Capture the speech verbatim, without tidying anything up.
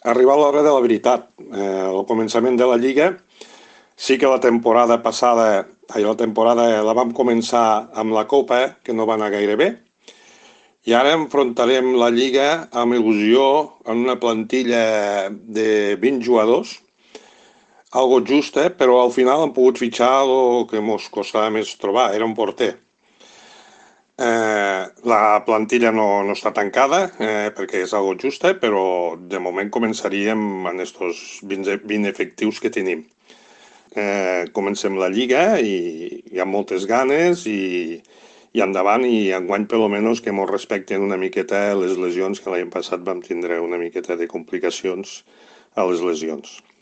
arribat l'hora de la veritat. Eh, al començament de la Lliga, sí que la temporada passada, ai, la temporada la vam començar amb la Copa, que no va anar gaire bé, i ara enfrontarem la Lliga amb il·lusió en una plantilla de vint jugadors, algo justa, però al final hem pogut fitxar el que ens costava més trobar, era un porter. Eh, la plantilla no, no està tancada eh, perquè és algo justa, però de moment començaríem amb estos vint, vint efectius que tenim. Eh, comencem la Lliga i hi ha moltes ganes i, i endavant i enguany per almenys que ens respecten una miqueta les lesions, que l'any passat vam tindre una miqueta de complicacions a les lesions.